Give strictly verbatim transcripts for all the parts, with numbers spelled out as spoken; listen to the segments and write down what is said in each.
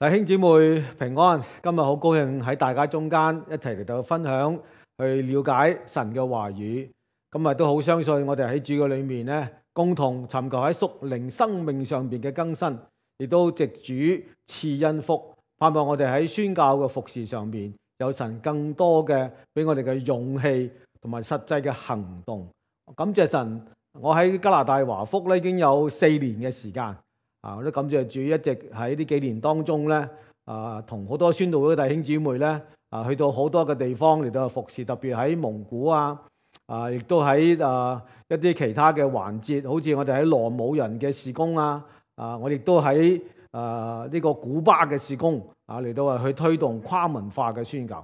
弟兄姊妹平安，今日好高興喺大家中間一齊嚟到分享，去了解神嘅話語。今日都好相信我哋喺主嘅裏面咧，共同尋求喺屬靈生命上邊嘅更新，亦都藉主賜恩福，盼望我哋喺宣教嘅服事上面有神更多嘅俾我哋嘅勇氣同埋實際嘅行動。感謝神，我喺加拿大華福咧已經有四年嘅時間。啊！我都感謝主，一直喺呢幾年當中咧，啊，同好多宣道會嘅弟兄姊妹咧，啊，去到好多嘅地方嚟到服侍，特別喺蒙古啊，啊，亦都喺啊一啲其他嘅環節，好似我哋喺羅姆人嘅事工啊，啊，我亦都喺啊呢個古巴嘅事工啊嚟到去推動跨文化嘅宣教。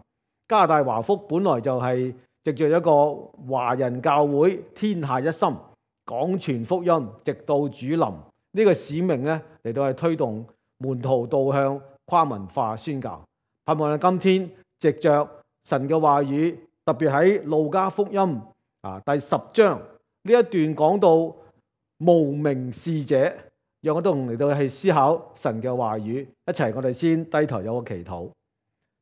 加拿大華福本來就係藉著一個華人教會，天下一心，廣傳福音，直到主臨。呢個使命咧嚟到係推動門徒導向跨文化宣教，盼望喺今天藉着神嘅話語，特別喺路加福音啊第十章呢一段講到無名使者，讓我哋嚟到去思考神嘅話語，一齊我哋先低頭有個祈禱。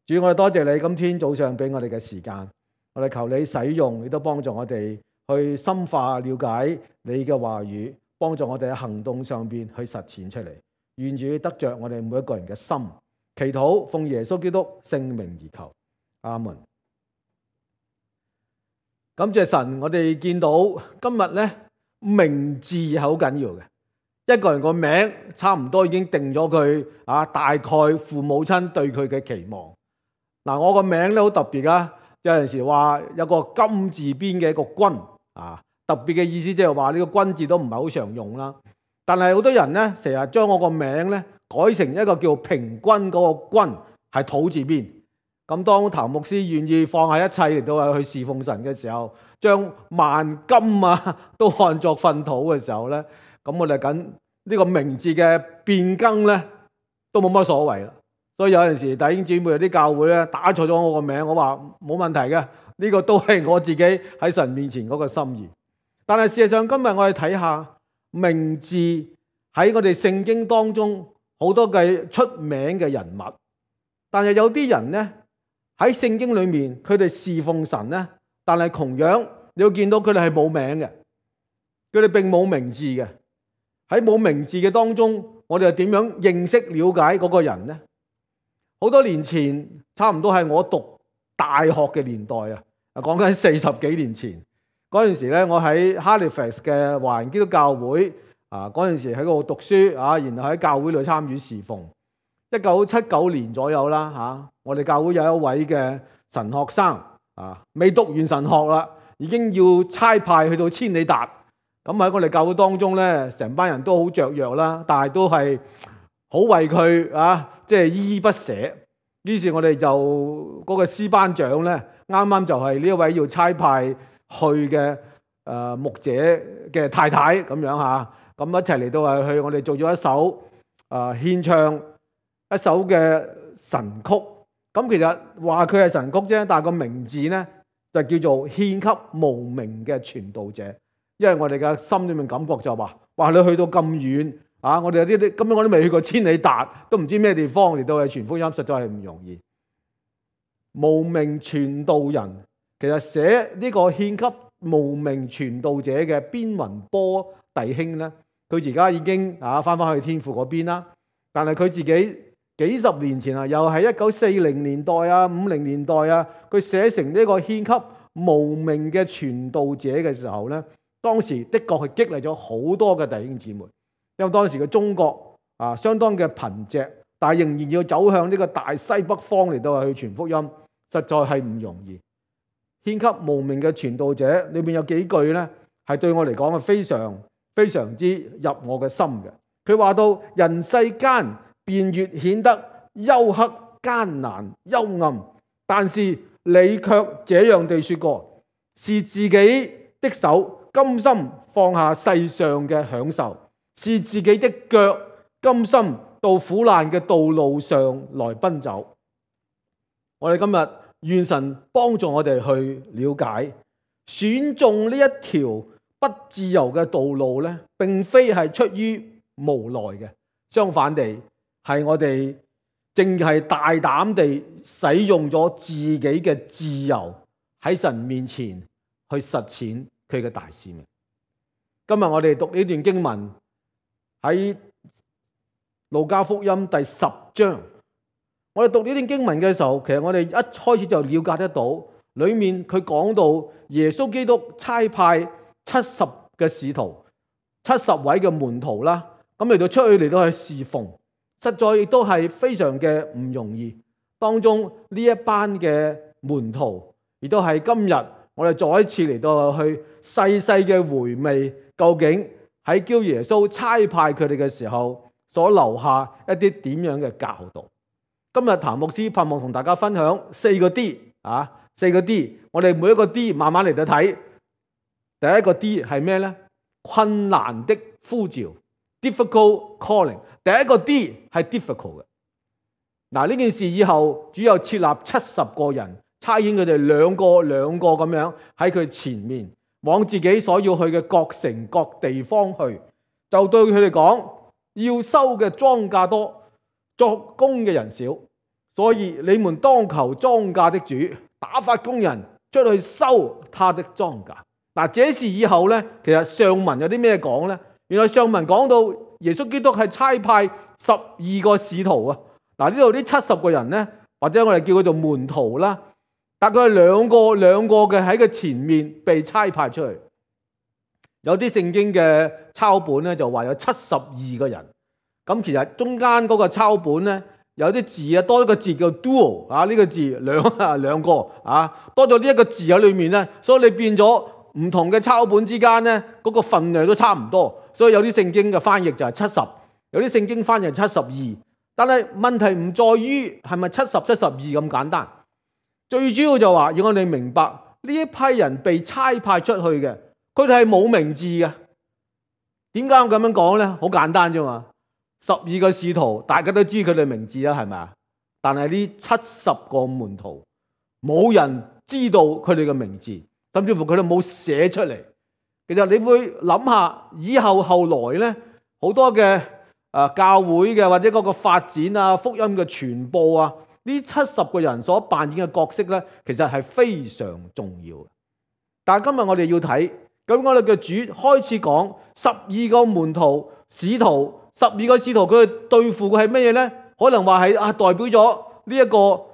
主，我哋多謝你今天早上俾我哋嘅時間，我哋求你使用，亦都幫助我哋去深化了解你嘅話語。幫助我哋喺行動上邊去實踐出嚟，願主得着我哋每一個人嘅心。祈禱奉耶穌基督聖名而求，阿門。感謝神，我哋見到今日咧名字係好緊要嘅。一個人個名差唔多已經定咗佢啊，大概父母親對佢嘅期望。嗱，我個名咧好特別啊，有陣時話有個金字邊嘅一個君啊。特別嘅意思即係話呢個君字都唔係好常用啦，但係好多人咧成日將我個名咧改成一個叫平均嗰個均係土字邊。咁當譚牧師願意放下一切嚟到去侍奉神嘅時候，將萬金啊都看作糞土嘅時候咧，咁我哋緊呢個名字嘅變更咧都冇乜所謂啦。所以有陣時弟兄姊妹有啲教會咧打錯咗我個名，我話冇問題嘅，呢個都係我自己喺神面前嗰個心意。但係事實上，今日我哋睇下名字喺我哋聖經當中好多嘅出名嘅人物，但係有啲人呢，喺聖經裏面，佢哋侍奉神呢，但係同樣你會見到佢哋係冇名嘅，佢哋並冇名字嘅。喺冇名字嘅當中，我哋又點樣認識了解嗰個人呢？好多年前，差唔多係我讀大學嘅年代啊，講緊四十幾年前。嗰陣時咧，我喺 Halifax 嘅華人基督教會啊，嗰陣時喺嗰度讀書啊，然後喺教會裏參與侍奉。一九七九年左右啦嚇，我哋教會有一位嘅神學生啊，未讀完神學啦，已經要差派去到千里達。咁喺我哋教會當中咧，成班人都好雀躍啦，但係都係好為佢啊，即係依依不捨。於是，我哋就嗰個師班長咧，啱啱就係呢一位要差派去嘅誒牧者嘅太太咁樣嚇，咁一齊嚟到係去，我哋做咗一首誒獻唱一首嘅神曲。咁其實話佢係神曲啫，但係個名字咧就叫做獻給無名嘅傳道者。因為我哋嘅心裏面感覺就話，哇！你去到咁遠啊，我哋有啲啲根本我都未去過千里達，都唔知咩地方嚟到係傳福音，實在係唔容易。無名傳道人。其實寫呢個獻給無名傳道者嘅邊雲波弟兄咧，佢而家已經啊翻返去天父嗰邊啦。但係佢自己幾十年前啊，又係一九四零年代啊、五零年代啊，佢寫成呢個獻給無名嘅傳道者嘅時候咧，當時的確係激勵咗好多嘅弟兄姊妹。因為當時嘅中國啊相當嘅貧瘠，但係仍然要走向呢個大西北方嚟到去傳福音，實在係唔容易。獻給無名嘅傳道者裏面有幾句咧，係對我嚟講係非常非常之入我嘅心嘅。佢話到人世間便越顯得幽黑艱難幽暗，但是你卻這樣地說過，是自己的手甘心放下世上嘅享受，是自己的腳甘心到苦難嘅道路上來奔走。我哋今日願神幫助我哋去了解，選中呢一條不自由嘅道路咧，並非係出於無奈嘅，相反地係我哋淨係大膽地使用咗自己嘅自由喺神面前去實踐佢嘅大使命。今日我哋讀呢段經文喺路加福音第十章，我哋讀呢段經文嘅時候，其實我哋一開始就了解得到，裏面佢講到耶穌基督差派七十嘅使徒，七十位嘅門徒啦，咁嚟到出去嚟到去侍奉，實在亦都係非常嘅唔容易。當中呢一班嘅門徒，亦都係今日我哋再一次嚟到去細細嘅回味，究竟喺叫耶穌差派佢哋嘅時候所留下一啲點樣嘅教導。今日譚牧師盼望同大家分享四個 D 啊，四個 D， 我哋每一個 D 慢慢嚟到睇。第一個 D 係咩呢？困難的呼召 ，difficult calling。第一個 D 係 difficult 嘅。嗱，呢件事以後主要設立七十個人，差遣佢哋兩個兩個咁樣喺佢前面，往自己所要去嘅各城各地方去，就對佢哋講：要收嘅莊稼多，作工嘅人少，所以你們當求莊稼的主打發工人出去收他的莊稼。嗱，這事以後咧，其實上文有啲咩講咧？原來上文講到耶穌基督係差派十二個使徒啊。嗱，呢度呢七十個人咧，或者我哋叫佢做門徒啦，大概係兩個兩個嘅喺佢前面被差派出去。有啲聖經嘅抄本咧就話有七十二個人。咁其實中間嗰個抄本咧有啲字啊，多一個字叫 duo 啊，呢個字兩啊兩個啊，多咗呢一個字喺裏面咧，所以你變咗。唔同嘅抄本之間咧，嗰個份量都差唔多，所以有啲聖經嘅翻譯就係七十，有啲聖經翻譯係七十二。但係問題唔在於係咪七十、七十二咁簡單，最主要就話要我哋明白呢一批人被差派出去嘅，佢哋係冇名字嘅。點解我咁樣講咧？好簡單啫嘛，十二個使徒大家都知佢哋名字啦，係咪啊？但係呢七十個門徒冇人知道佢哋嘅名字。甚至乎佢哋冇寫出嚟。其實你會諗下，以後後來咧，好多嘅誒教會嘅或者嗰個發展啊、福音嘅傳播啊，呢七十個人所扮演嘅角色咧，其實係非常重要嘅。但係今日我哋要睇，咁我哋嘅主開始講十二個門徒、使徒，十二個使徒佢哋對付嘅係乜嘢咧？可能話係啊，代表咗呢一個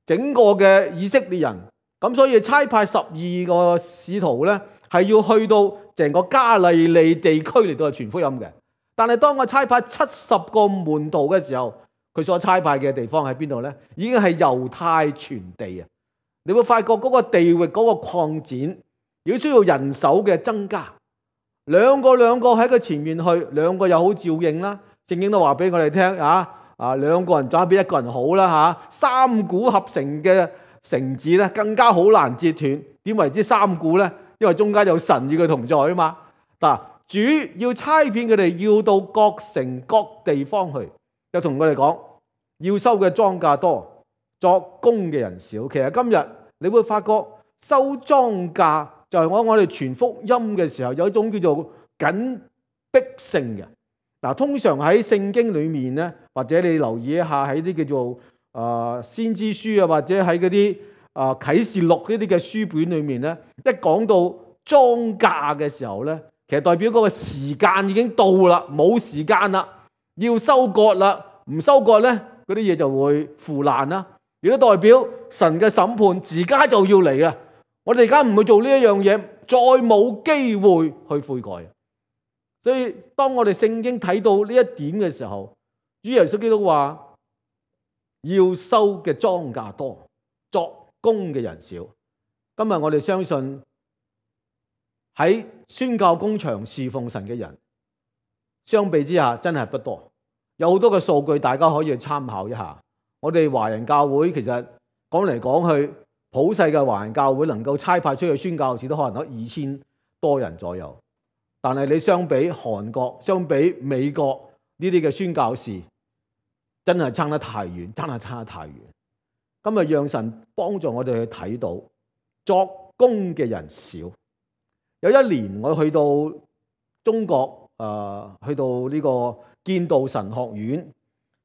整個嘅以色列人。咁所以差派十二個使徒咧，係要去到成個加利利地區嚟到傳福音嘅。但係當我差派七十個門徒嘅時候，佢所差派嘅地方喺邊度咧？已經係猶太全地啊！你會發覺嗰個地域嗰個擴展，亦都需要人手嘅增加。兩個兩個喺佢前面去，兩個又好照應啦。聖經都話俾我哋聽啊，啊兩個人總比一個人好啦嚇。三股合成嘅繩子咧更加好難截斷，點為之三股咧？因為中間有神與佢同在啊嘛。嗱，主要差遣佢哋要到各城各地方去，又同佢哋講要收嘅莊稼多，作工嘅人少。其實今日你會發覺收莊稼就係我我哋傳福音嘅時候有一種叫做緊迫性嘅。嗱，通常喺聖經裏面咧，或者你留意一下喺啲叫做啊、呃，先知書啊，或者喺嗰啲啊啟示錄呢啲嘅書本裏面咧，一講到莊稼嘅時候咧，其實代表嗰個時間已經到啦，冇時間啦，要收割啦，唔收割咧，嗰啲嘢就會腐爛啦。亦都代表神嘅審判自家就要嚟啦。我哋而家唔去做呢一樣嘢，再冇機會去悔改。所以當我哋聖經睇到呢一點嘅時候，主耶穌基督話，要收嘅莊稼多，作工嘅人少。今日我哋相信喺宣教工場侍奉神嘅人，相比之下真係不多。有好多嘅數據大家可以去參考一下。我哋華人教會其實講嚟講去，普世嘅華人教會能夠差派出去宣教士都可能得二千多人左右。但係你相比韓國、相比美國呢啲嘅宣教士，真係差得太遠，真係差得太遠。今日讓神幫助我哋去睇到作工嘅人少。有一年我去到中國，誒、呃、去到呢個建道神學院，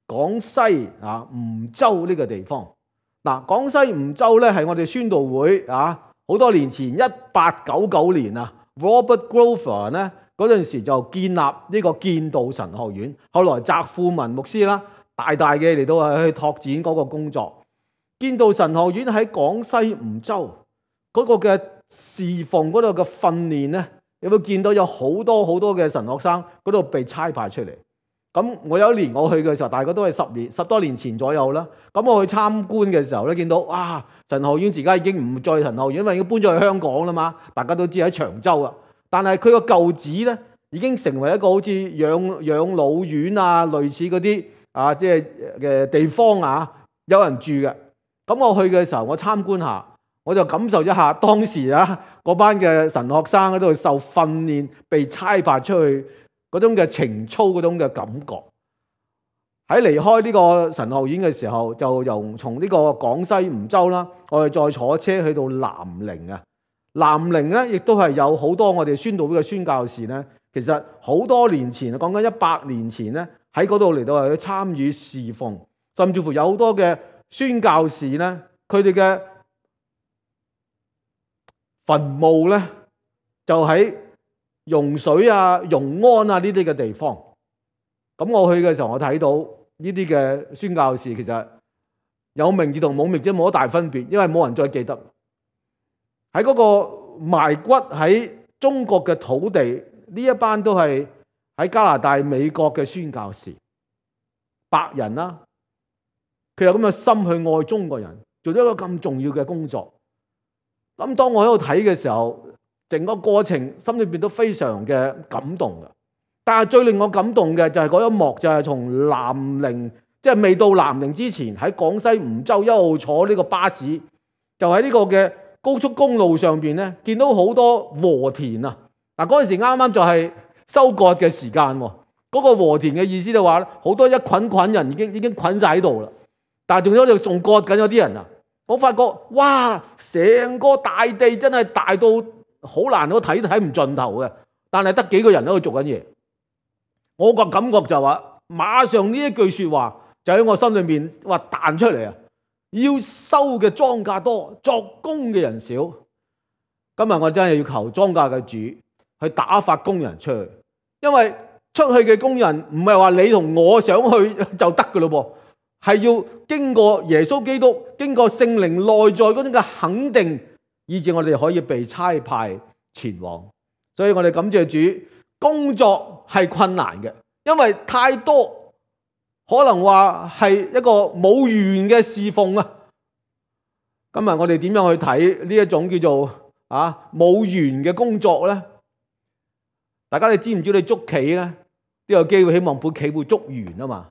廣西啊梧州呢個地方。嗱，廣西梧州咧係我哋宣道會啊，好多年前一八九九年啊 ，Robert Grover 咧嗰陣時就建立呢個建道神學院，後來澤富文牧師啦，大大嘅嚟到去拓展嗰個工作。建道神學院喺廣西梧州嗰個嘅侍奉嗰度嘅訓練咧，有冇見到有好多好多嘅神學生嗰度被差派出嚟？咁我有一年我去嘅時候，大概都係十年十多年前左右啦。咁我去參觀嘅時候咧，見到哇，神學院而家已經唔再神學院，因為已經搬咗去香港啦嘛。大家都知喺長洲啊。但係佢個舊址咧，已經成為一個好似養養老院啊，類似嗰啲啊，即係嘅地方啊，有人住嘅。咁我去嘅時候，我參觀下，我就感受一下當時啊嗰班嘅神學生喺度受訓練，被差派出去嗰種嘅情操，嗰種嘅感覺。喺離開呢個神學院嘅時候，就由從呢個廣西梧州啦，我哋再坐車去到南寧啊。南寧咧，亦都係有好多我哋宣道會嘅宣教士咧。其實好多年前，講緊一百年前咧，喺嗰度嚟到去參與侍奉，甚至乎有好多嘅宣教士咧，佢哋嘅墳墓咧，就喺融水啊、融安啊呢啲嘅地方。咁我去嘅時候，我睇到呢啲嘅宣教士其實有名字同冇名字冇乜大分別，因為冇人再記得。喺嗰個埋骨喺中國嘅土地，呢一班都係喺加拿大、美國嘅宣教士，白人啦、啊，佢有咁嘅心去愛中國人，做咗一個咁重要嘅工作。咁當我喺度睇嘅時候，整個過程心裏邊都非常嘅感動嘅。但係最令我感動嘅就係嗰一幕，就係從南寧，即係未到南寧之前，喺廣西梧州一路坐呢個巴士，就喺呢個嘅高速公路上邊咧，見到好多禾田啊！嗱，嗰陣時啱啱就係收割嘅時間喎。嗰個禾田嘅意思就話，好多一捆捆人已經已經捆晒喺度啦。但係仲有就仲割緊有啲人啊！我發覺哇，成個大地真係大到好難都睇都睇唔盡頭嘅，但係得幾個人喺度做緊嘢。我個感覺就話，馬上呢一句説話就喺我心裏面話彈出嚟啊！要收嘅莊稼多，作工嘅人少。今日我真係要求莊稼嘅主去打發工人出去，因為出去嘅工人唔係話你同我想去就得嘅咯噃，係要經過耶穌基督，經過聖靈內在嗰種嘅肯定，以致我哋可以被差派前往。所以我哋感謝主，工作係困難嘅，因為太多，可能話係一個冇完嘅侍奉啊。今日我哋點樣去睇呢一種叫做啊冇完嘅工作咧？大家你知唔知你捉棋咧都有機會，希望盤棋會捉完啊嘛。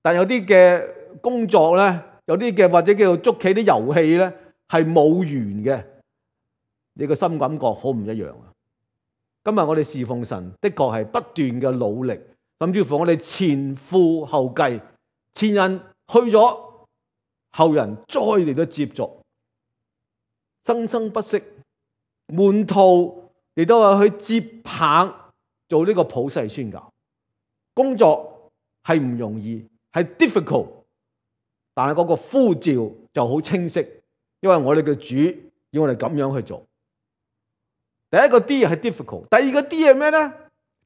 但有啲嘅工作咧，有啲嘅或者叫做捉棋啲遊戲咧係冇完嘅，你個心感覺好唔一樣啊！今日我哋侍奉神的確係不斷嘅努力，甚至乎我哋前赴後繼，前人去咗，後人再嚟到接續，生生不息，門徒亦都係去接棒做呢個普世宣教。工作係唔容易，係 difficult， 但係嗰個呼召就好清晰，因為我哋嘅主要我哋咁樣去做。第一個 D 係 difficult， 第二個 D 係咩咧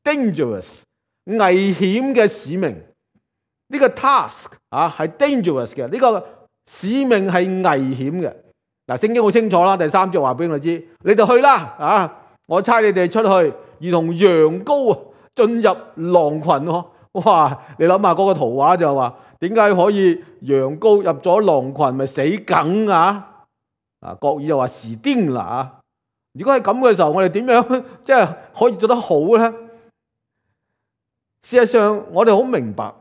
？dangerous， 危險嘅使命。呢、這個 task 啊係 dangerous 嘅，呢、這個使命係危險嘅。嗱，聖經好清楚啦，第三節話俾我知，你哋去啦啊！我差你哋出去，如同羊羔啊進入狼群喎。哇！你諗下嗰個圖畫就話，點解可以羊羔入咗狼群咪死梗啊？啊，國語就話時癲啦啊！如果係咁嘅時候，我哋點樣即係可以做得好咧？事實上，我哋好明白，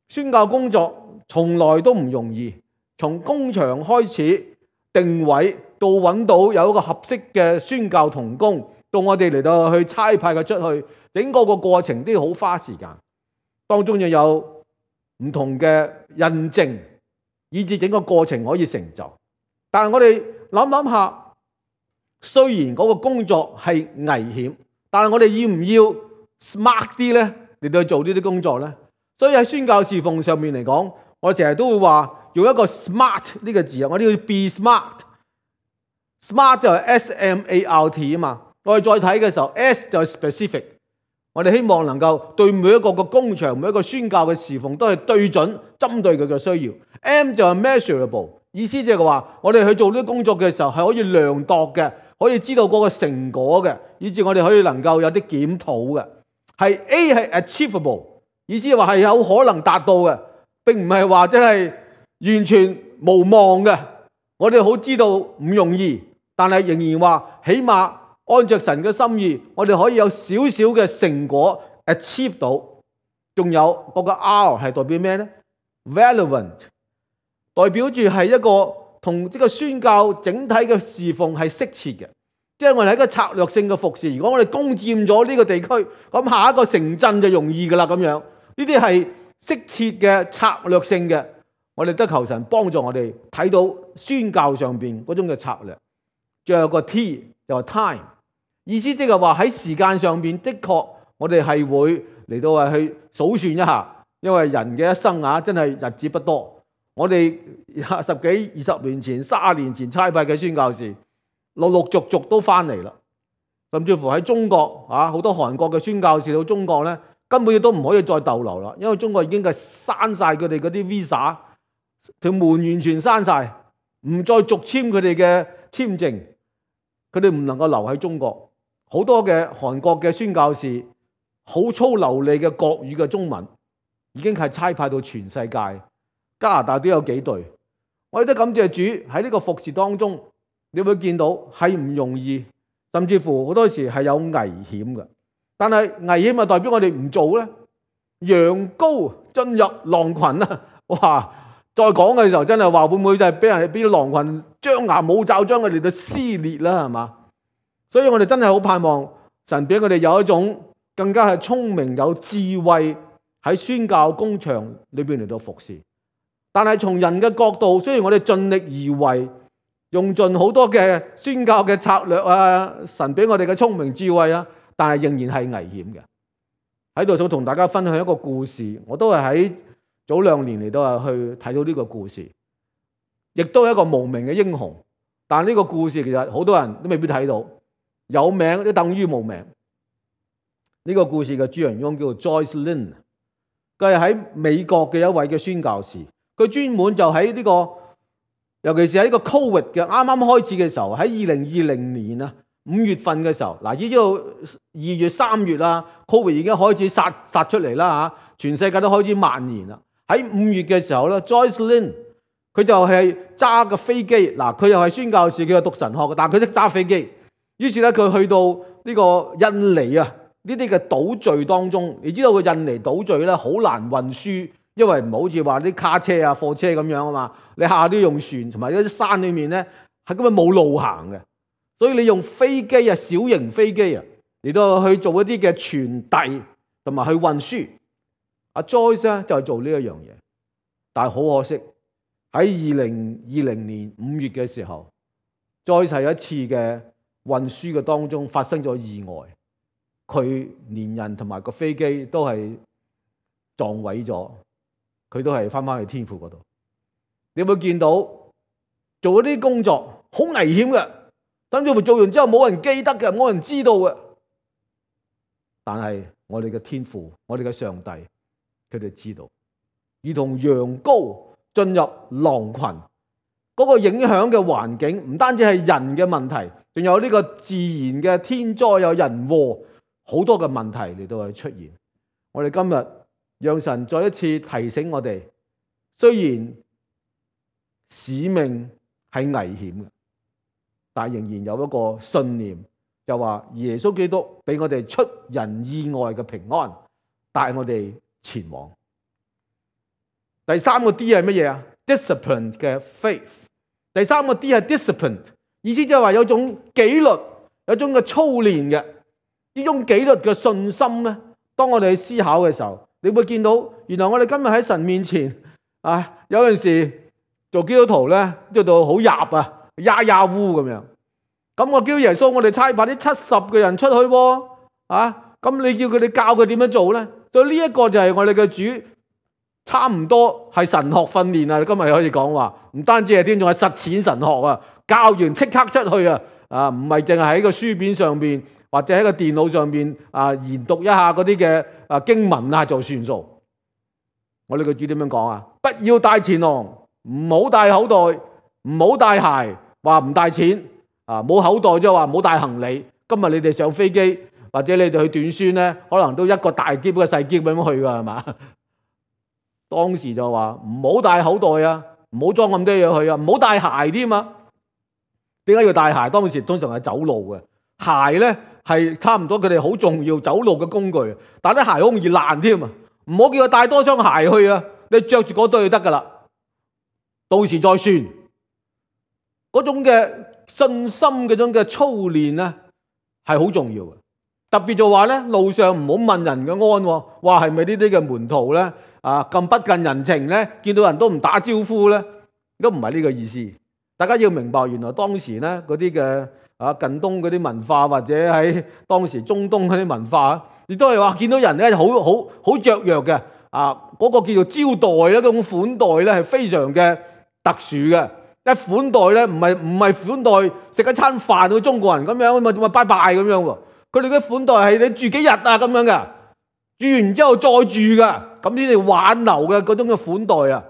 宣教工作從來都唔容易。從工場開始定位，到揾到有一個合適嘅宣教同工，到我哋嚟到去差派佢出去，整個個過程都要好花時間。當中又有唔同嘅印證，以致整個過程可以成就。但係我哋諗諗下。雖然嗰個工作係危險，但係我哋要唔要 smart 啲咧嚟到去做呢啲工作咧？所以喺宣教侍奉上面嚟講，我成日都會話用一個 smart 呢個字啊，我哋要 be smart。smart 就係 S M A R T 啊嘛。我哋再睇嘅時候 ，S 就係 specific。我哋希望能夠對每一個個工場、每一個宣教嘅侍奉都係對準、針對佢嘅需要。M 就係 measurable， 意思即係話我哋去做呢啲工作嘅時候係可以量度嘅，可以知道嗰個成果嘅，以至我哋可以能夠有啲檢討嘅。係 A 係 achievable， 意思係話係有可能達到嘅，並唔係話真係完全無望嘅。我哋好知道唔容易，但係仍然話起碼按着神嘅心意，我哋可以有少少嘅成果 achieve 到。仲有嗰個 R 係代表咩呢？ relevant， 代表住係一個同呢個宣教整體嘅侍奉係適切嘅。即係我哋喺一個策略性嘅服侍，如果我哋攻佔咗呢個地區，咁下一個城鎮就容易噶啦咁樣。呢啲係適切嘅策略性嘅，我哋得求神幫助我哋睇到宣教上邊嗰種嘅策略。最後個 T 就係 time， 意思即係話喺時間上邊的確我哋係會嚟到係去數算一下，因為人嘅一生啊真係日子不多。我哋十幾二十年前、三十年前差派嘅宣教士，陸陸續續都翻嚟啦，甚至乎喺中國啊，好多韓國嘅宣教士到中國咧，根本都唔可以再逗留啦，因為中國已經係閂晒佢哋嗰啲 visa， 條門完全閂晒，唔再續簽佢哋嘅簽證，佢哋唔能夠留喺中國。好多嘅韓國嘅宣教士，好粗流利嘅國語嘅中文，已經係差派到全世界，加拿大都有幾隊。我哋都感謝主喺呢個服事當中。你會見到係唔容易，甚至乎好多時係有危險嘅。但係危險咪代表我哋唔做咧？羊羔進入狼群啊！哇！再講嘅時候真係話會唔會就係俾人俾狼群張牙舞爪將佢哋就撕裂啦？係嘛？所以我哋真係好盼望神俾我哋有一種更加係聰明有智慧喺宣教工場裏邊嚟到服侍。但係從人嘅角度，雖然我哋盡力而為，用盡好多嘅宣教嘅策略啊，神俾我哋嘅聰明智慧啊，但係仍然係危險嘅。喺度想同大家分享一個故事，我都係喺早兩年嚟到啊去睇到呢個故事，亦都係一個無名嘅英雄。但係呢個故事其實好多人都未必睇到，有名都等於無名。呢個故事嘅主人翁叫做 Joyce Lin， 佢係喺美國嘅一位嘅宣教士，佢專門就喺呢個。尤其是喺呢個 Covid 嘅啱啱開始嘅時候，喺二零二零年啊五月份嘅時候，嗱呢度二月三月啦 ，Covid 已經開始殺殺出嚟啦嚇，全世界都開始蔓延啦。喺五月嘅時候咧 ，Joyce Lin 佢就係揸個飛機，嗱佢又係宣教士，佢又讀神學嘅，但係佢識揸飛機。於是咧佢去到呢個印尼啊呢啲嘅島嶼當中，你知道個印尼島嶼咧好難運輸。因為唔好似話啲卡車啊、貨車咁樣啊嘛，你下下都用船，同埋啲山裏面咧係根本冇路行嘅，所以你用飛機啊、小型飛機啊嚟到去做一啲嘅傳遞同埋去運輸。阿 Joyce 咧就係做呢一樣嘢，但係好可惜喺二零二零年五月嘅時候 ，Joyce 係一次嘅運輸嘅當中發生咗意外，佢連人同埋個飛機都係撞毀咗。佢都係翻返去天父嗰度。你有冇見到做嗰啲工作好危險嘅，甚至乎做完之後冇人記得嘅，冇人知道嘅。但係我哋嘅天父，我哋嘅上帝，佢哋知道。如同羊羔進入狼群，嗰個影響嘅環境唔單止係人嘅問題，仲有呢個自然嘅天災，有人禍，好多嘅問題嚟到去出現。我哋今日讓神再一次提醒我哋，雖然使命係危險嘅，但仍然有一個信念，就話耶穌基督俾我哋出人意外嘅平安，帶我哋前往。第三個 D 係乜嘢啊？ Discipline 嘅 faith。第三個 D 係 discipline， 意思就係話有種紀律，有種嘅操練嘅。呢種紀律嘅信心咧，當我哋去思考嘅時候，你會見到，原來我哋今日喺神面前啊，有陣時做基督徒咧，做到好入啊，呀呀烏咁樣。咁我叫耶穌，我哋差派啲七十個人出去喎，啊，咁你叫佢哋教佢點樣做咧？所以呢一個就係我哋嘅主差唔多係神學訓練啊！今日可以講話，唔單止係添，仲係實踐神學啊！教完即刻出去啊！啊，唔係淨係喺個書面上邊或者喺個電腦上邊啊研讀一下嗰啲嘅啊經文啊就算數。我哋個主點樣講啊？不要帶錢囊，唔好帶口袋，唔好帶鞋，話唔帶錢啊！冇口袋即係話唔好帶行李。今日你哋上飛機或者你哋去短宣咧，可能都一個大篋一個細篋咁樣去㗎係嘛？當時就話唔好帶口袋啊，唔好裝咁多嘢去啊，唔好帶鞋添啊！點解要帶鞋？當時通常係走路嘅鞋咧，係差唔多佢哋好重要走路嘅工具。但係啲鞋好容易爛添啊！唔好叫佢帶多雙鞋去啊！你着住嗰對就得噶啦，到時再算。嗰種嘅信心嗰種嘅操練咧，係好重要嘅。特別就話咧，路上唔好問人嘅安，話係咪呢啲嘅門徒咧啊咁不近人情咧？見到人都唔打招呼咧，都唔係呢個意思。大家要明白，原來當時咧嗰啲嘅啊近東嗰啲文化，或者喺當時中東嗰啲文化，亦都係話見到人咧好好好雀躍嘅啊！嗰、那個叫做招待咧，嗰種款待咧係非常嘅特殊嘅。一款待咧唔係唔係款待食一餐飯到中國人咁樣咪咪拜拜咁樣喎。佢哋嘅款待係你住幾日啊咁樣嘅，住完之後再住噶，咁先至挽留嘅嗰種嘅款待啊。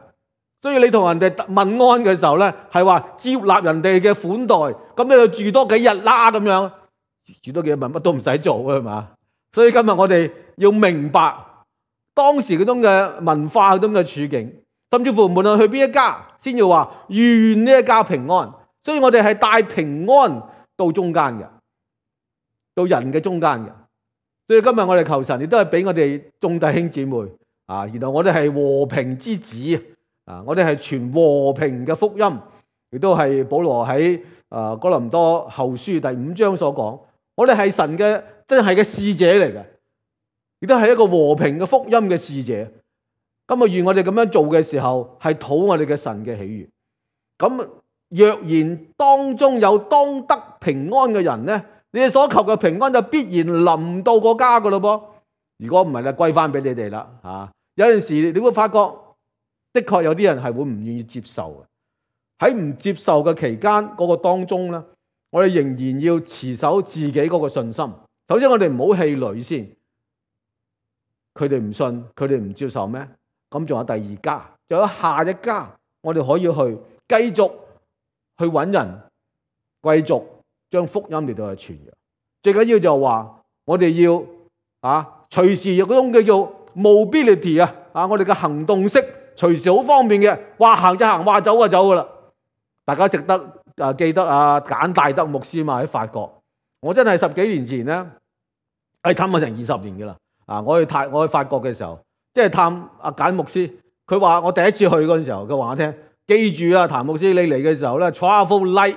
所以你同人哋問安嘅時候咧，係話接納人哋嘅款待，咁你就住多幾日啦咁樣，住多幾日咪乜都唔使做啊嘛。所以今日我哋要明白當時嗰種嘅文化嗰種嘅處境，甚至乎無論去邊一家，先要話願呢一家平安。所以我哋係帶平安到中間嘅，到人嘅中間嘅。所以今日我哋求神亦都係俾我哋眾弟兄姊妹啊，然後我哋係和平之子啊，我哋係傳和平嘅福音，亦都係保羅喺啊哥林多後書第五章所講，我哋係神嘅真係嘅使者嚟嘅，亦都係一個和平嘅福音嘅使者。今日願我哋咁樣做嘅時候，係討我哋嘅神嘅喜悅。咁若然當中有當得平安嘅人咧，你哋所求嘅平安就必然臨到個家噶咯噃。如果唔係咧，歸翻俾你哋啦嚇。有陣時你會發覺，的確有啲人係會唔願意接受嘅。喺唔接受嘅期間嗰個當中咧，我哋仍然要持守自己嗰個信心。首先我哋唔好氣餒先，佢哋唔信，佢哋唔接受咩？咁仲有第二家，仲有下一家，我哋可以去繼續去揾人，繼續將福音嚟到去傳揚。最緊要就係話，我哋要啊隨時有嗰種叫做 mobility 啊，啊我哋嘅行動式隨時好方便嘅，話行就行，話走就走噶啦。大家識得啊記得啊簡大德牧師嘛，喺法國，我真係十幾年前咧，係探咗成二十年噶啦。啊，我去泰我去法國嘅時候。即係探阿簡牧師，佢話我第一次去嗰陣時候，佢話我聽，記住啊，譚牧師你嚟嘅時候咧 travel light，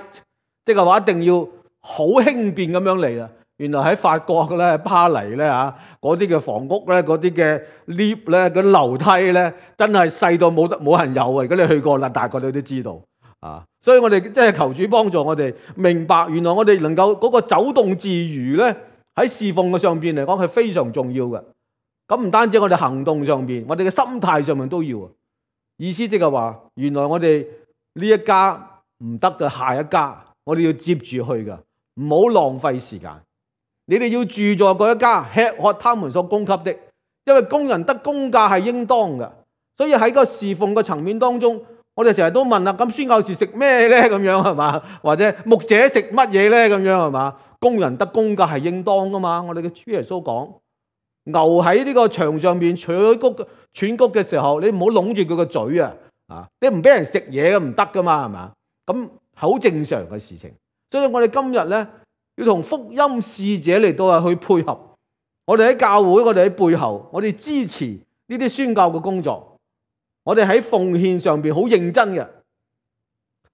即係話一定要好輕便咁樣嚟啊。原來喺法國咧，巴黎咧嚇，嗰啲嘅房屋咧，嗰啲嘅 lift 咧，嗰啲樓梯咧，真係細到冇得冇人有啊！如果你去過啦，大概你都知道啊。所以我哋即係求主幫助我哋明白，原來我哋能夠嗰個走動自如咧，喺侍奉嘅上邊嚟講係非常重要嘅。咁唔單止我哋行動上邊，我哋嘅心態上面都要。意思即係話，原來我哋呢一家唔得嘅，下一家我哋要接住去㗎，唔好浪費時間。你哋要住在嗰一家，吃喝他們所供給的，因為工人得工價係應當嘅。所以喺個侍奉嘅層面當中，我哋成日都問啦，咁宣教士食咩咧？咁樣係嘛？或者牧者食乜嘢咧？咁樣係嘛？工人得工價係應當噶嘛？我哋嘅主耶穌講。牛喺呢個牆上面取谷喘谷嘅時候，你唔好攏住佢個嘴啊！啊，你唔俾人食嘢嘅唔得噶嘛，係嘛？咁好正常嘅事情。所以我哋今日咧要同福音使者嚟到係去配合。我哋喺教會，我哋喺背後，我哋支持呢啲宣教嘅工作。我哋喺奉獻上邊好認真嘅，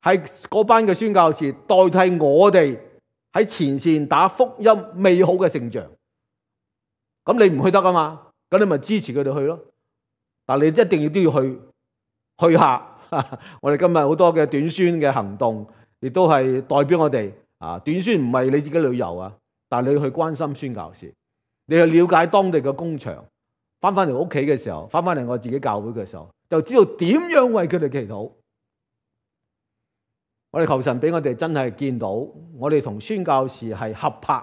係嗰班嘅宣教士代替我哋喺前線打福音美好嘅勝仗。咁你唔去得啊嘛？咁你咪支持佢哋去咯。但係你一定要都要去去下。我哋今日好多嘅短宣嘅行動，亦都係代表我哋啊。短宣唔係你自己旅遊啊，但係你要去關心宣教士，你去了解當地嘅工場。翻翻嚟屋企嘅時候，翻翻嚟我自己教會嘅時候，就知道點樣為佢哋祈禱。我哋求神俾我哋真係見到，我哋同宣教士係合拍。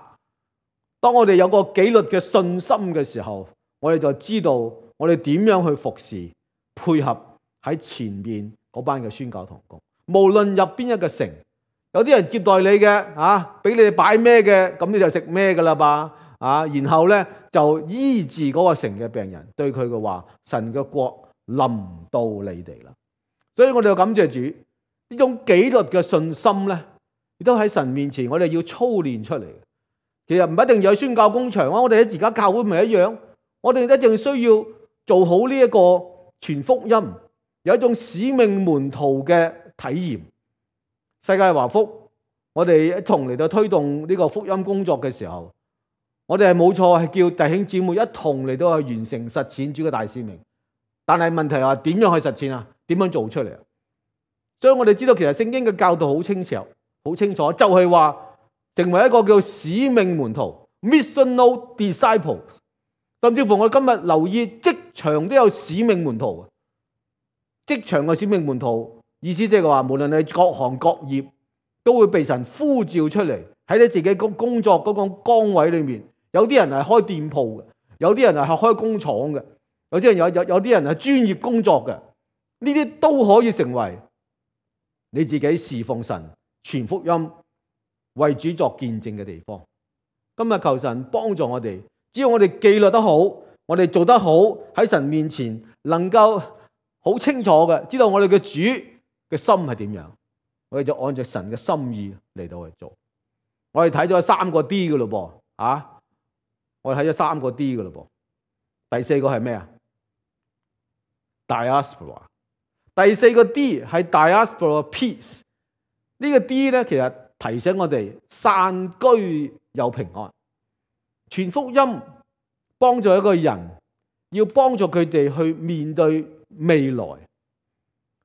當我哋有個紀律嘅信心嘅時候，我哋就知道我哋點樣去服侍，配合喺前面嗰班嘅宣教同工。無論入邊一個城，有啲人接待你嘅，啊，俾你哋擺咩嘅，咁你就食咩噶啦吧，啊，然後咧就醫治嗰個城嘅病人，對佢嘅話，神嘅國臨到你哋啦。所以我哋就感謝主，呢種紀律嘅信心咧，亦都喺神面前，我哋要操練出嚟。其實唔一定有宣教工場啊，我哋喺自家教會咪一樣，我哋一定需要做好呢一個傳福音，有一種使命門徒嘅體驗。世界華福，我哋一同嚟到推動呢個福音工作嘅時候，我哋係冇錯，係叫弟兄姊妹一同嚟到去完成實踐主嘅大使命。但係問題係話點樣去實踐啊？點樣做出嚟啊？所以我哋知道其實聖經嘅教導好清楚，好清楚，就係話成為一個叫使命門徒 missional disciple。甚至乎我今日留意職場都有使命門徒，職場嘅使命門徒意思即係話，無論你各行各業，都會被神呼召出嚟喺你自己工工作嗰個崗位裏面。有啲人係開店鋪嘅，有啲人係開工廠嘅，有啲人有有有啲人係專業工作嘅，呢啲都可以成為你自己侍奉神、傳福音、為主作見證嘅地方。今日求神幫助我哋，只要我哋紀律得好，我哋做得好，喺神面前能夠好清楚嘅知道我哋嘅主嘅心係點樣，我哋就按照神嘅心意嚟到去做。我哋睇咗三個 D 嘅咯噃，啊！我哋睇咗三個 D 嘅咯噃，第四個係咩啊 ？Diaspora。第四個 D 係 Diaspora Peace。呢個 D 咧，其實提醒我哋散居有平安，傳福音幫助一個人，要幫助佢哋去面對未來。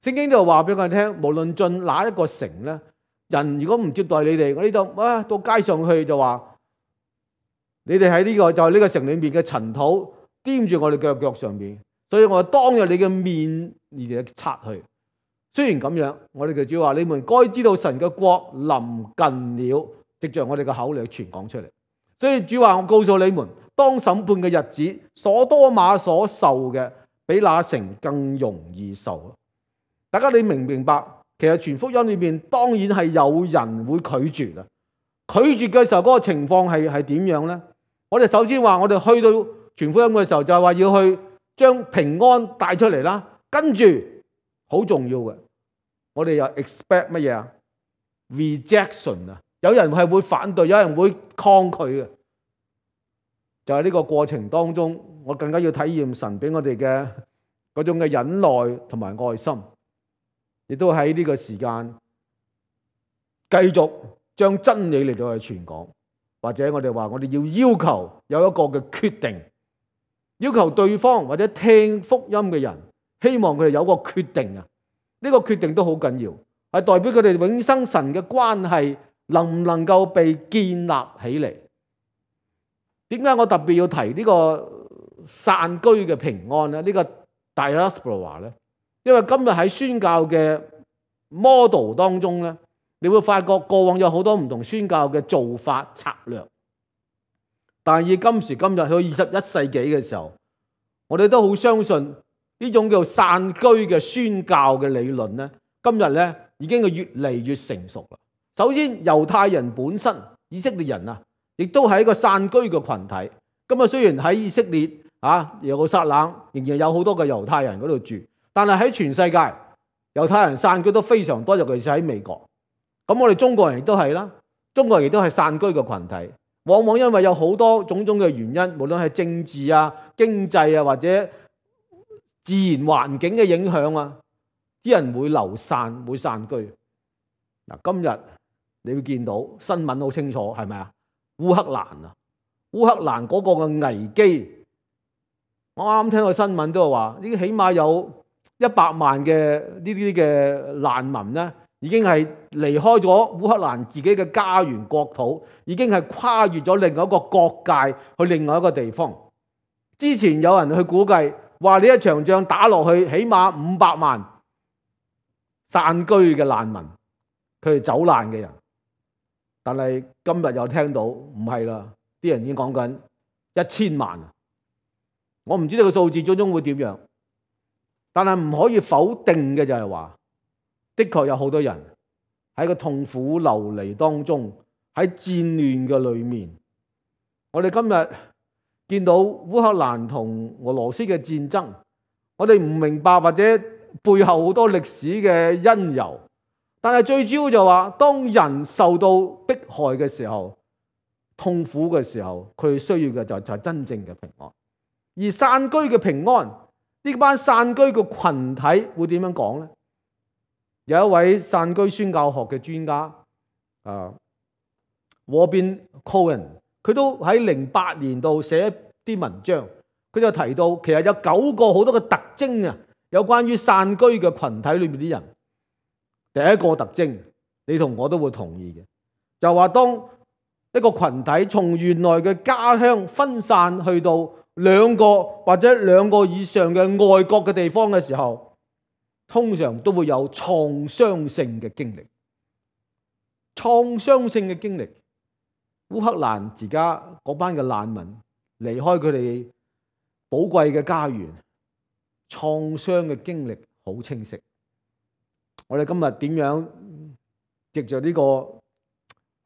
聖經就話俾我哋聽，無論進哪一個城咧，人如果唔接待你哋，我呢度啊到街上去就話。你哋喺呢個就係、是、呢個城裏面嘅塵土掂住我哋腳腳上邊，所以我當日你嘅面你哋擦去。雖然咁樣，我哋嘅主話：你們該知道神嘅國臨近了，藉着我哋嘅口嚟傳講出嚟。所以主話：我告訴你們，當審判嘅日子，所多瑪所受嘅比那城更容易受。大家你明唔明白？其實傳福音裏面當然係有人會拒絕啊！拒絕嘅時候嗰個情況係係點樣呢？我哋首先話，我哋去到傳福音嘅時候，就係話要去將平安帶出嚟啦。跟住好重要嘅，我哋又 expect 乜嘢啊 ？rejection 啊！有人係會反對，有人會抗拒嘅。就係呢個過程當中，我更加要體驗神俾我哋嘅嗰種嘅忍耐同埋愛心，亦都喺呢個時間繼續將真理嚟到去傳講。或者我哋話，我哋要要求有一個嘅決定，要求對方或者聽福音嘅人，希望佢哋有個決定啊！呢個決定都好緊要，係代表佢哋永生神嘅關係能唔能夠被建立起嚟。點解我特別要提呢個散居嘅平安咧？呢個 Diaspora 咧，因為今日喺宣教嘅 model 當中咧。你會發覺過往有好多唔同宣教嘅做法策略，但係以今時今日去到二十一世紀嘅時候，我哋都好相信呢種叫散居嘅宣教嘅理論咧，今日咧已經係越嚟越成熟啦。首先，猶太人本身以色列人啊，亦都係一個散居嘅群體。咁啊，雖然喺以色列啊耶路撒冷仍然有好多嘅猶太人嗰度住，但係喺全世界猶太人散居都非常多，尤其是喺美國。咁我哋中國人亦都係啦，中國人亦都係散居嘅群體，往往因為有好多種種嘅原因，無論係政治啊、經濟啊，或者自然環境嘅影響啊，啲人會流散，會散居。嗱，今日你會見到新聞好清楚，係咪啊？烏克蘭啊，烏克蘭嗰個嘅危機，我啱啱聽到新聞都係話，呢起碼有一百萬嘅呢啲嘅難民咧。已經係離開咗烏克蘭自己嘅家園國土，已經係跨越咗另外一個國界去另外一個地方。之前有人去估計話呢一場仗打落去，起碼五百萬散居嘅難民，佢哋走難嘅人。但係今日又聽到唔係啦，啲人已經講緊一千萬。我唔知道個數字最終會點樣，但係唔可以否定嘅就係話，的確有好多人喺個痛苦流離當中，喺戰亂嘅裏面。我哋今日見到烏克蘭同俄羅斯嘅戰爭，我哋唔明白或者背後好多歷史嘅因由，但係最主要就話，當人受到迫害嘅時候、痛苦嘅時候，佢需要嘅就就係真正嘅平安。而散居嘅平安，呢班散居嘅群體會點樣講呢？有一位散居宣教學嘅專家啊 Robin Cohen， 佢都喺零八年度寫一啲文章，佢就提到其實有九個好多嘅特徵啊，有關於散居嘅群體裏面啲人。第一個特徵，你同我都會同意嘅，就話當一個群體從原來嘅家鄉分散去到兩個或者兩個以上嘅外國嘅地方嘅時候，通常都會有創傷性嘅經歷。創傷性嘅經歷，烏克蘭而家嗰班嘅難民離開佢哋寶貴嘅家園，創傷嘅經歷好清晰。我哋今日點樣藉着呢個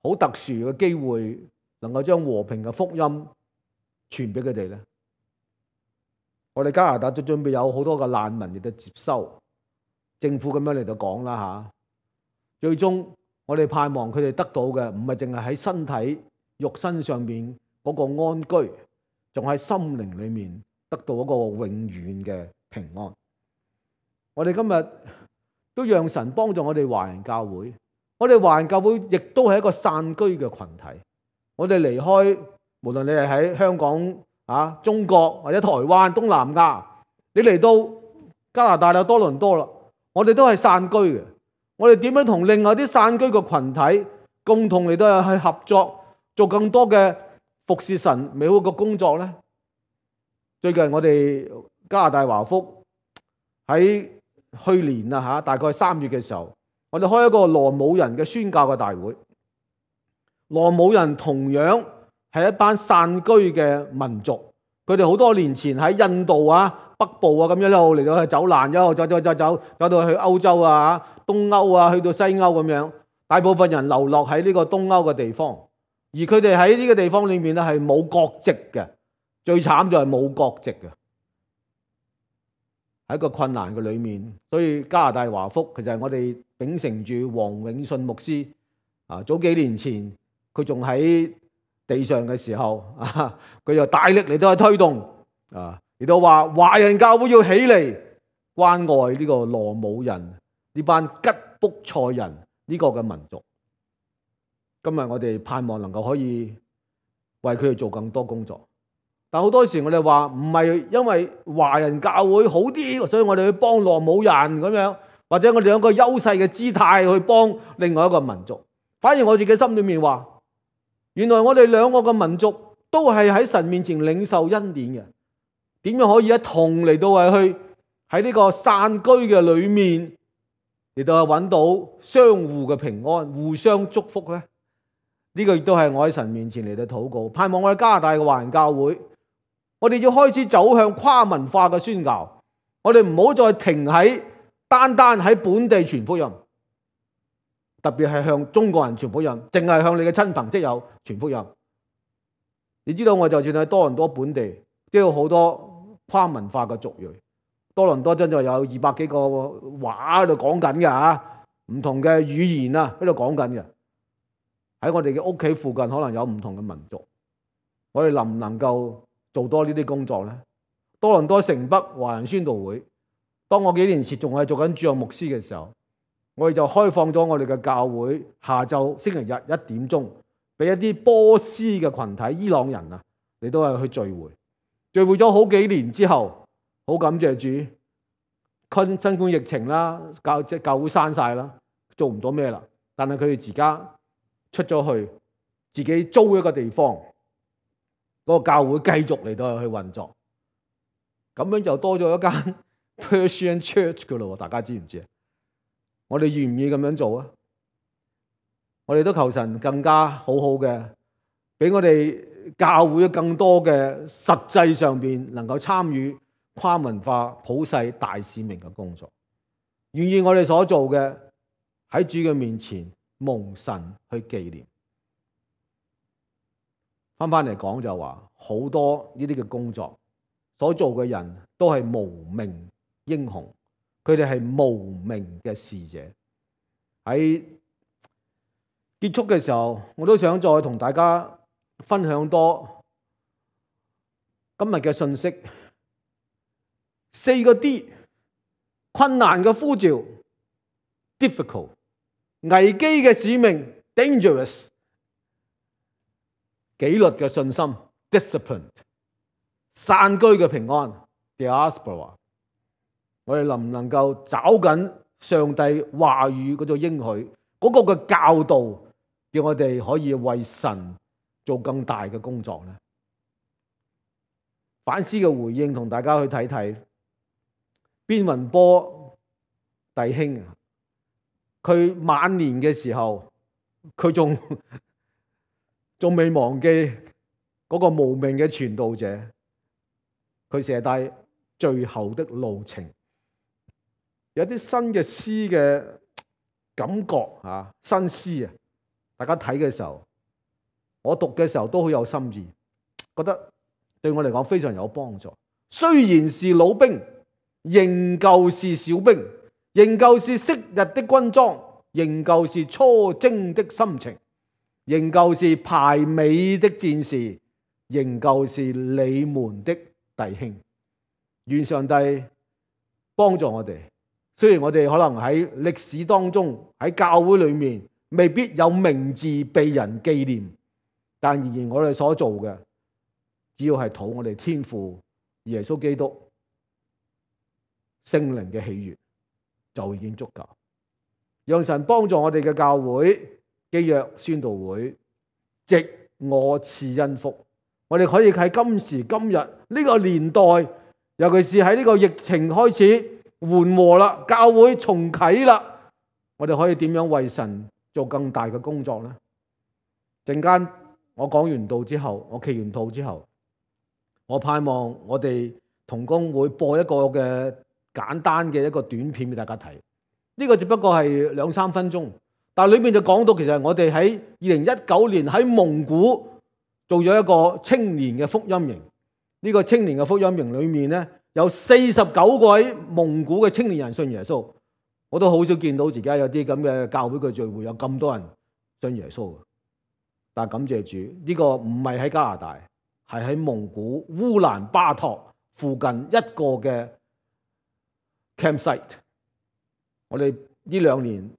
好特殊嘅機會，能夠將和平嘅福音傳俾佢哋呢？我哋加拿大都準備有好多嘅難民嚟到接收，政府咁樣嚟到講啦嚇。最終我哋盼望佢哋得到嘅唔係淨係喺身體肉身上面嗰個安居，仲喺心靈裏面得到一個永遠嘅平安。我哋今日都讓神幫助我哋華人教會，我哋華人教會亦都係一個散居嘅群體。我哋離開，無論你係喺香港啊、中國或者台灣、東南亞，你嚟到加拿大有多倫多啦，我哋都係散居嘅。我哋點樣同另外啲散居嘅群體共同嚟到去合作，做更多嘅服侍神美好嘅工作呢？最近我哋加拿大華福喺去年啊嚇，大概三月嘅時候，我哋開一個羅姆人嘅宣教嘅大會。羅姆人同樣係一班散居嘅民族，佢哋好多年前喺印度啊、北部啊咁樣一路嚟到去走難，一路走走走走走到去歐洲啊、東歐啊，去到西歐咁樣。大部分人流落喺呢個東歐嘅地方，而佢哋喺呢個地方裏面咧係冇國籍嘅，最慘就係冇國籍嘅。喺一個困難嘅裏面，所以加拿大華福其實係我哋秉承住黃永信牧師啊，早幾年前佢仲喺地上嘅時候啊，佢就大力嚟到去推動啊，嚟到話華人教會要起嚟關愛呢個羅姆人呢班吉卜賽人呢個嘅民族。今日我哋盼望能夠可以為佢哋做更多工作。但好多時我哋話唔係因為華人教會好啲，所以我哋去幫羅姆人咁樣，或者我哋有一個優勢嘅姿態去幫另外一個民族。反而我自己心裏面話，原來我哋兩個嘅民族都係喺神面前領受恩典嘅。點樣可以一同嚟到係去喺呢個散居嘅裏面嚟到係揾到相互嘅平安、互相祝福呢？呢個亦都係我喺神面前嚟到禱告，盼望我哋加拿大嘅華人教會，我哋要開始走向跨文化嘅宣教，我哋唔好再停喺單單喺本地傳福音，特別係向中國人傳福音，淨係向你嘅親朋戚友傳福音。你知道我就算喺多倫多本地，都有好多跨文化嘅族裔。多倫多真係有二百幾個話喺度講緊嘅嚇，唔同嘅語言啊喺度講緊嘅。喺我哋嘅屋企附近可能有唔同嘅民族，我哋能唔能夠做多呢啲工作呢？多倫多城北華人宣道會，當我幾年前仲係做緊主任牧師嘅時候，我哋就開放咗我哋嘅教會下晝星期日一點鐘，俾一啲波斯嘅群體伊朗人啊，你都係去聚會，聚會咗好幾年之後，好感謝主，新新冠疫情啦，教即係教會閂晒啦，做唔到咩啦，但係佢哋而家出咗去，自己租一個地方，嗰個教會繼續嚟到去運作。咁樣就多咗一間 Persian Church 噶咯，大家知唔知啊？我哋願唔願意咁樣做啊？我哋都求神更加好好嘅，俾我哋教會更多嘅實際上邊能夠參與跨文化普世大使命嘅工作，願意我哋所做嘅喺主嘅面前蒙神去紀念。翻翻嚟講就話，好多呢啲嘅工作所做嘅人都係無名英雄，佢哋係無名嘅使者。喺結束嘅時候，我都想再同大家分享多今日嘅信息。四個 D， 困難嘅呼召 difficult， 危機嘅使命 dangerous， 紀律嘅信心 discipline， 散居嘅平安 diaspora。 我哋能唔能夠找緊上帝話語嗰種應許，嗰個嘅教導，叫我哋可以為神做更大嘅工作呢？反思嘅回應同大家去睇睇。邊雲波弟兄，佢晚年嘅時候，佢仲仲未忘記嗰個無名嘅傳道者，佢寫低最後的路程，有啲新嘅詩嘅感覺啊，新詩啊，大家睇嘅時候，我讀嘅時候都好有心意，覺得對我嚟講非常有幫助。雖然是老兵，仍舊是小兵，仍舊是昔日的軍裝，仍舊是初征的心情，仍舊是排尾的戰士，仍舊是你們的弟兄。願上帝幫助我哋。雖然我哋可能喺歷史當中，喺教會裏面未必有名字被人紀念，但仍然我哋所做嘅，只要係討我哋天父耶穌基督聖靈嘅喜悅，就已經足夠。讓神幫助我哋嘅教會基約宣道會，藉我賜恩福，我哋可以喺今時今日呢個年代，尤其是喺呢個疫情開始緩和啦，教會重啟啦，我哋可以點樣為神做更大嘅工作呢？陣間我講完道之後，我祈完禱之後，我盼望我哋同工會播一個嘅簡單嘅一個短片俾大家睇。呢個只不過係兩三分鐘，但係裏面就講到，其實我哋喺二零一九年喺蒙古做咗一個青年嘅福音營。呢個青年嘅福音營裏面咧，有四十九位蒙古嘅青年人信耶穌。我都好少見到自己有啲咁嘅教會嘅聚會有咁多人信耶穌。但係感謝主，呢個唔係喺加拿大，係喺蒙古烏蘭巴托附近一個嘅 campsite。我哋呢兩年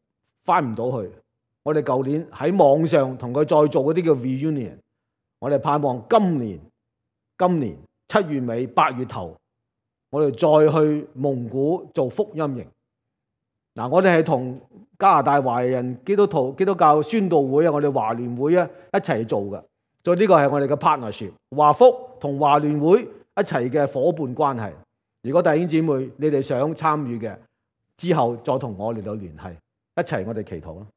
翻唔到去，我哋舊年喺網上同佢再做嗰啲叫 reunion。我哋盼望今年今年七月尾八月頭，我哋再去蒙古做福音營。嗱，我哋係同加拿大華人基督徒基督教宣道會啊，我哋華聯會啊一齊做嘅。所以呢個係我哋嘅 partnership， 華福同華聯會一齊嘅伙伴關係。如果弟兄姊妹你哋想參與嘅，之後再同我嚟到聯繫，一齊我哋祈禱啦。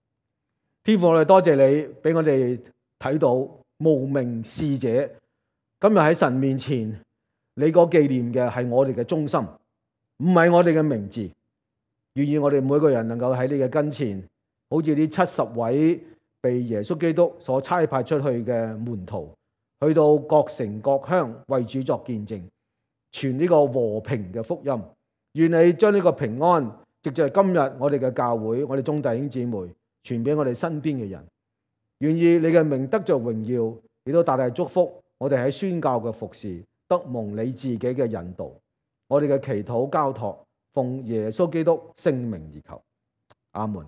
天父，我哋多謝你俾我哋睇到無名使者，今日喺神面前，你個紀念嘅係我哋嘅忠心，唔係我哋嘅名字。願意我哋每個人能夠喺你嘅跟前，好似呢七十位被耶穌基督所差派出去嘅門徒，去到各城各鄉為主作見證，傳呢個和平嘅福音。願你將呢個平安藉着今日我哋嘅教會，我哋眾弟兄姊妹傳俾我哋身邊嘅人。願意你嘅名得着榮耀，亦都大大祝福我哋喺宣教嘅服侍，得蒙你自己嘅引導。我哋嘅祈禱交託，奉耶穌基督聖名而求，阿門。